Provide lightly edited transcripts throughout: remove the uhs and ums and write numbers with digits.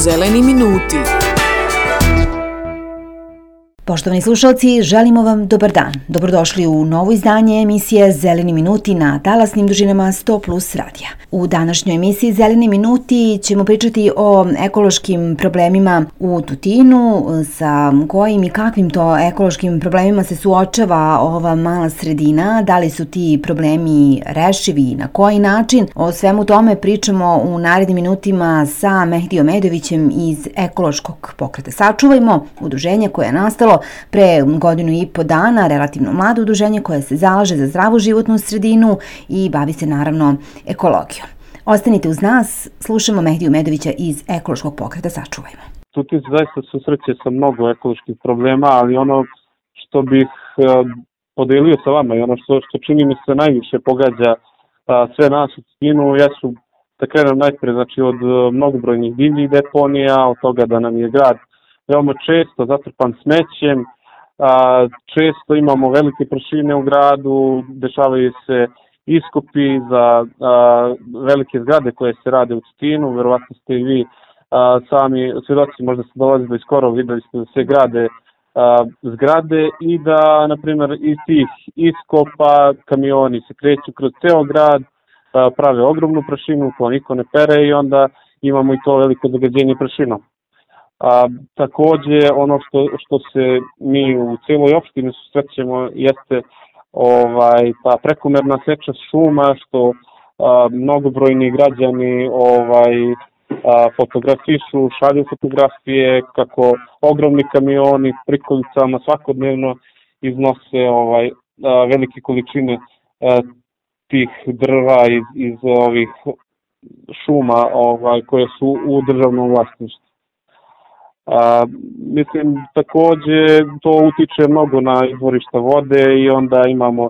Zeleni minuti. Poštovani slušalci, želimo vam dobar dan. Dobrodošli u novo izdanje emisije Zeleni minuti na talasnim dužinama 100+ radija. U današnjoj emisiji Zeleni minuti ćemo pričati o ekološkim problemima u Tutinu, sa kojim i kakvim to ekološkim problemima se suočava ova mala sredina, da li su ti problemi rešivi i na koji način. O svemu tome pričamo u narednim minutima sa Mehdijom Edovićem iz ekološkog pokreta Sačuvajmo, udruženje koje je nastalo pre 1.5 godina, relativno mlado udruženje koje se zalaže za zdravu životnu sredinu i bavi se naravno ekologijom. Ostanite uz nas, slušamo Mehdiju Medovića iz ekološkog pokreta Sačuvajmo. Tutin se zaista susreće sa mnogo ekoloških problema, ali ono što bih podelio sa vama i ono što čini mi se najviše pogađa sve nas u Tutinu jesu, da krenem najpre, znači od mnogobrojnih divljih deponija, od toga da nam je grad veoma često zatrpan smećem, često imamo velike prašine u gradu, dešavaju se iskopi za velike zgrade koje se rade u Tutinu, verovatno ste i vi sami svjedoci, možda ste dolazili iz Korova, videli ste da se grade zgrade i da, na primjer, iz tih iskopa kamioni se kreću kroz ceo grad, prave ogromnu prašinu koju niko ne pere i onda imamo i to veliko zagađenje prašinom. Takođe, ono što se mi u cijeloj opštini susrećemo jeste ta prekomerna seča šuma, što mnogobrojni građani fotografišu, šalju fotografije kako ogromni kamioni prikolicama svakodnevno iznose velike količine tih drva iz ovih šuma koje su u državnom vlasništvu. Mislim, takođe to utiče mnogo na izvorišta vode i onda imamo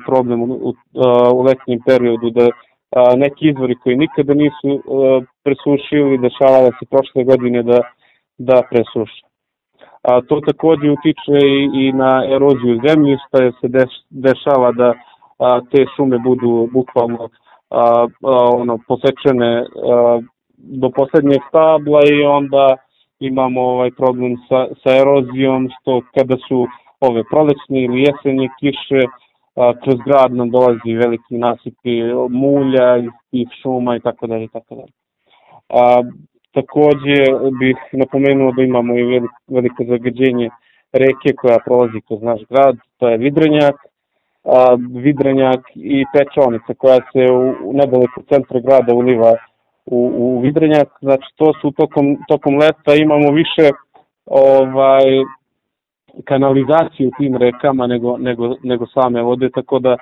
problem u letnjem periodu da neki izvori koji nikada nisu presušili, dešavalo se prošle godine da presuše. To takođe utiče i na eroziju zemljišta, jer se dešava da te šume budu bukvalno posečene do poslednjeg stabla i onda imamo problem sa erozijom, što kada su ove prolećne ili jesenje kiše, kroz grad nam dolazi veliki nasipi mulja iz tih šuma i tako dalje. Takođe bih napomenuo da imamo i veliko zagađenje reke koja prolazi kroz naš grad, to je Vidrenjak i Pečonica koja se nedaleko centra grada uliva u Vidrenjak. Znači to su tokom leta imamo više kanalizaciju u tim rekama nego same vode, tako da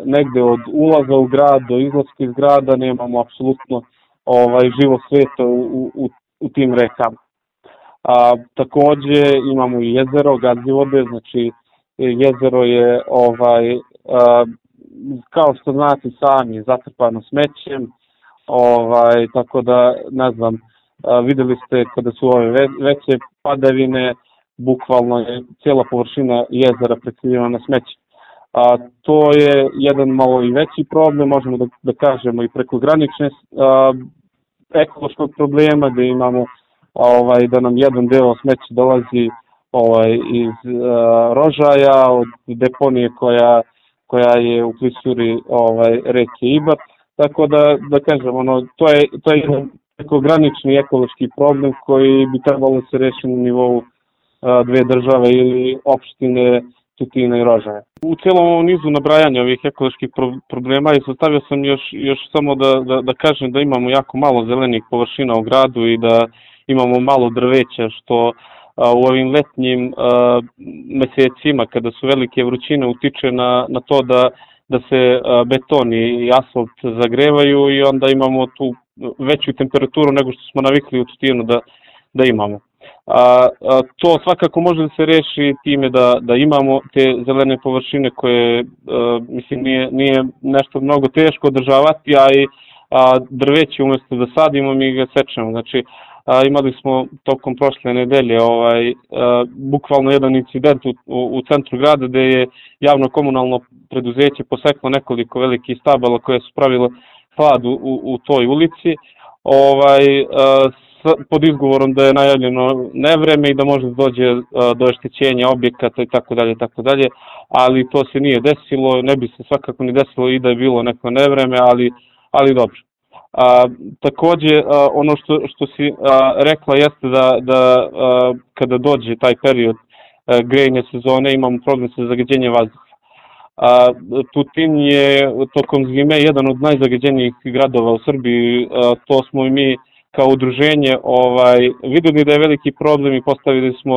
negde od ulaza u grad do izlaska iz grada nemamo apsolutno živo sveta u tim rekama. Takođe imamo i jezero, gadzi vode, znači jezero je kao što znate sami zatrpano smećem, tako da ne znam, videli ste kada su ove veće padavine, bukvalno je cijela površina jezera prekrivena smećem. To je jedan malo i veći problem, možemo da kažemo i prekogranične ekološkog problema, gde imamo da nam jedan deo smeća dolazi iz Rožaja, od deponije koja je u klisuri reke Ibar. Tako da kažem, to je jedan prekogranični ekološki problem koji bi trebalo se reši na nivou dve države ili opštine Tutina i Rožaja. U cijelom ovom nizu nabrajanja ovih ekoloških problema izostavio sam još samo da kažem da imamo jako malo zelenih površina u gradu i da imamo malo drveća, što u ovim letnjim mesecima kada su velike vrućine utiče na to da se beton i asfalt zagrevaju i onda imamo tu veću temperaturu nego što smo navikli u Tutinu da imamo. To svakako može da se reši time da imamo te zelene površine koje, mislim, nije nešto mnogo teško održavati, a i drveće umjesto da sadimo mi ga sečemo. Znači, imali smo tokom prošle nedelje bukvalno jedan incident u centru grada gde je javno komunalno preduzeće poseklo nekoliko velikih stabala koje su pravile hlad u toj ulici. pod izgovorom da je najavljeno nevreme i da može dođe do oštećenja objekata i tako dalje, ali to se nije desilo, ne bi se svakako ni desilo i da je bilo neko nevreme, ali dobro. Takođe, ono što si rekla jeste da kada dođe taj period grejne sezone imamo problem sa zagađenjem vazduha. Tutin je tokom zime jedan od najzagađenijih gradova u Srbiji, to smo i mi kao udruženje videli da je veliki problem i postavili smo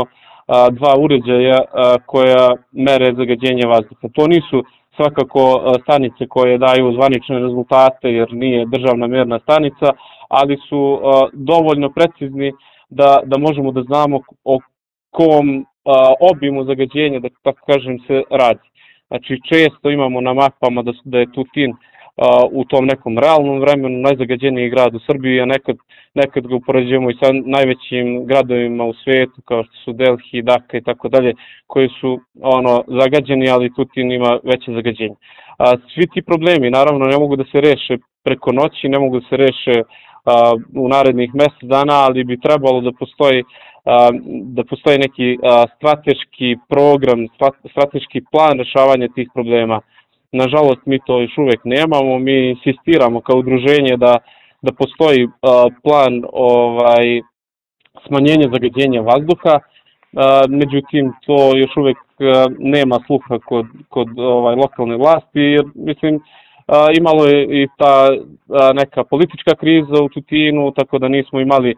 2 uređaja koja mere zagađenje vazduha. To nisu svakako stanice koje daju zvanične rezultate jer nije državna mjerna stanica, ali su dovoljno precizni da možemo da znamo o kom obimu zagađenja, da tako kažem, se radi. Znači često imamo na mapama da je Tutin u tom nekom realnom vremenu najzagađeniji grad u Srbiji, a nekad ga upoređujemo i sa najvećim gradovima u svijetu kao što su Delhi, Dhaka i tako dalje, koji su zagađeni, ali Tutin ima veće zagađenje. Svi ti problemi naravno ne mogu da se reše preko noći, ne mogu da se reše u narednih mjesec dana, ali bi trebalo da postoji neki strateški program, strateški plan rešavanja tih problema. Nažalost, mi to još uvijek nemamo, mi insistiramo kao udruženje da postoji plan smanjenja zagađenja vazduha, međutim to još uvijek nema sluha kod lokalne vlasti, jer mislim imalo je i ta neka politička kriza u Tutinu, tako da nismo imali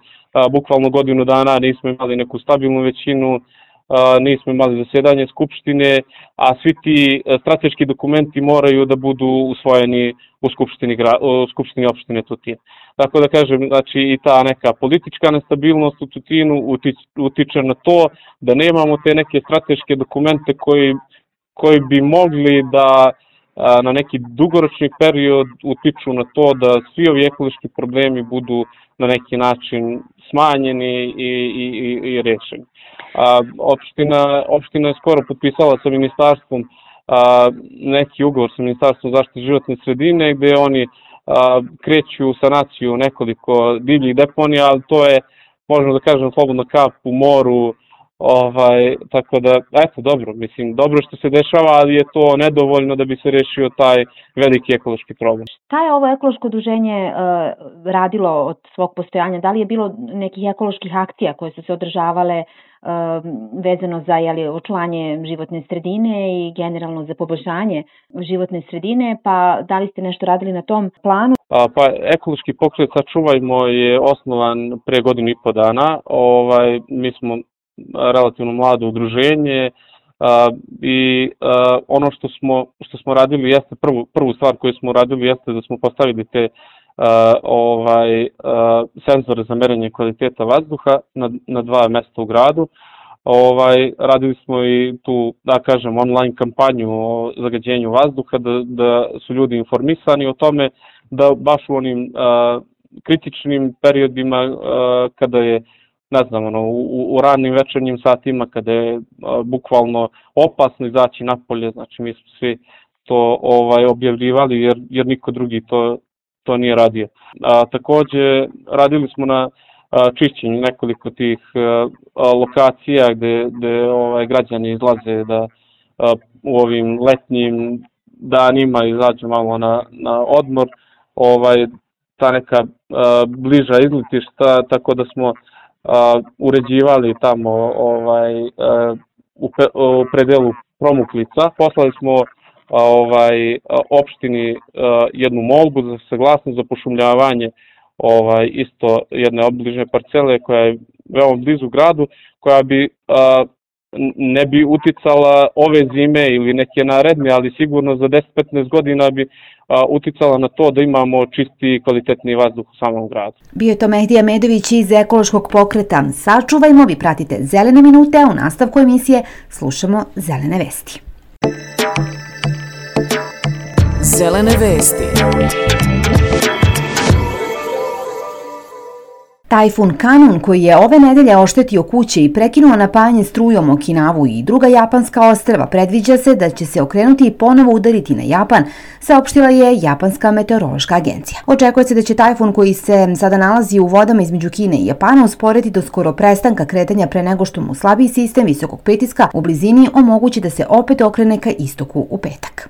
bukvalno godinu dana, nismo imali neku stabilnu većinu, nismo imali zasjedanje skupštine, a svi ti strateški dokumenti moraju da budu usvojeni u skupštini opštine Tutin. Tako da kažem, znači i ta neka politička nestabilnost u Tutinu utiče na to da nemamo te neke strateške dokumente koji bi mogli da na neki dugoročni period utiču na to da svi ovi ekološki problemi budu na neki način smanjeni i rešeni. Opština je skoro potpisala sa ministarstvom neki ugovor sa Ministarstvom zaštite životne sredine gdje oni kreću u sanaciju nekoliko divljih deponija, ali to je, možemo da kažem, slobodno kap u moru. Tako da, eto, dobro što se dešava, ali je to nedovoljno da bi se rešio taj veliki ekološki problem. Šta je ovo ekološko udruženje radilo od svog postojanja? Da li je bilo nekih ekoloških akcija koje su se održavale vezano za očuvanje životne sredine i generalno za poboljšanje životne sredine, pa da li ste nešto radili na tom planu? Pa ekološki pokret Sačuvajmo je osnovan pre 1.5 godina. Mi smo relativno mlado udruženje i ono što smo radili jeste, prvu stvar koju smo radili jeste da smo postavili te senzore za merenje kvaliteta vazduha na 2 mjesta u gradu. Radili smo i tu, da kažem, online kampanju o zagađenju vazduha, da su ljudi informisani o tome, da baš u onim kritičnim periodima kada je, ne znam, u ranim večernjim satima, kada je bukvalno opasno izaći napolje, znači mi smo svi to objavljivali jer niko drugi to nije radio. Takođe, radili smo na čišćenju nekoliko tih lokacija gde građani izlaze da u ovim letnjim danima izađu malo na odmor, ta neka bliža izletišta, tako da smo uređivali tamo u predelu Promuklica. Poslali smo opštini jednu molbu za saglasnost za pošumljavanje isto jedne obližne parcele koja je veoma blizu gradu, koja bi ne bi uticala ove zime ili neke naredne, ali sigurno za 10-15 godina bi uticala na to da imamo čisti i kvalitetni vazduh u samom gradu. Bio je to Mehdija Medović iz ekološkog pokreta Sačuvajmo. Vi pratite Zelene minute, a u nastavku emisije slušamo Zelene vesti. Zelene vesti. Tajfun Kanun, koji je ove nedelje oštetio kuće i prekinuo napajanje strujom Okinavu i druga japanska ostrva, predviđa se da će se okrenuti i ponovo udariti na Japan, saopštila je Japanska meteorološka agencija. Očekuje se da će tajfun, koji se sada nalazi u vodama između Kine i Japana, usporiti do skoro prestanka kretanja pre nego što mu slabiji sistem visokog pritiska u blizini omogući da se opet okrene ka istoku u petak.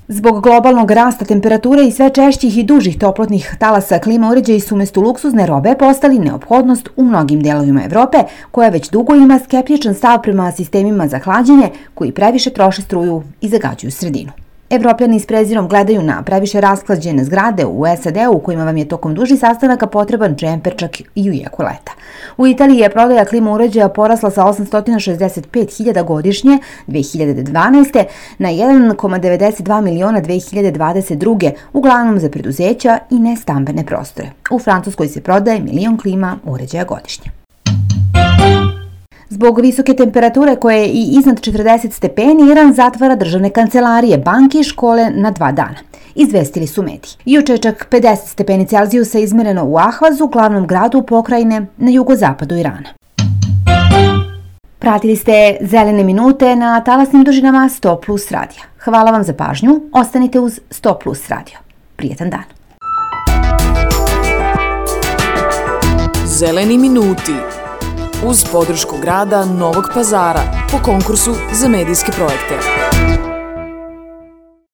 Zbog globalnog rasta temperature i sve češćih i dužih toplotnih talasa, klima uređaji su umesto luksuzne robe postali neophodnost u mnogim delovima Evrope, koja već dugo ima skeptičan stav prema sistemima za hlađenje koji previše troše struju i zagađuju sredinu. Evropljani s prezirom gledaju na previše rasklađene zgrade u SAD-u u kojima vam je tokom dužih sastanaka potreban džemper čak i u jeku leta. U Italiji je prodaja klima uređaja porasla sa 865.000 godišnje 2012. na 1,92 miliona 2022. uglavnom za preduzeća i nestambene prostore. U Francuskoj se prodaje 1 milion klima uređaja godišnje. Zbog visoke temperature koje je i iznad 40 stepeni, Iran zatvara državne kancelarije, banke i škole na 2 dana. Izvestili su mediji. Juče je čak 50 stepeni Celzijusa izmereno u Ahvazu, glavnom gradu pokrajine na jugozapadu Irana. Pratili ste Zelene minute na talasnim dužinama 100+ radija. Hvala vam za pažnju, ostanite uz 100+ radio. Prijetan dan. Zeleni minuti uz podršku grada Novog Pazara po konkursu za medijske projekte.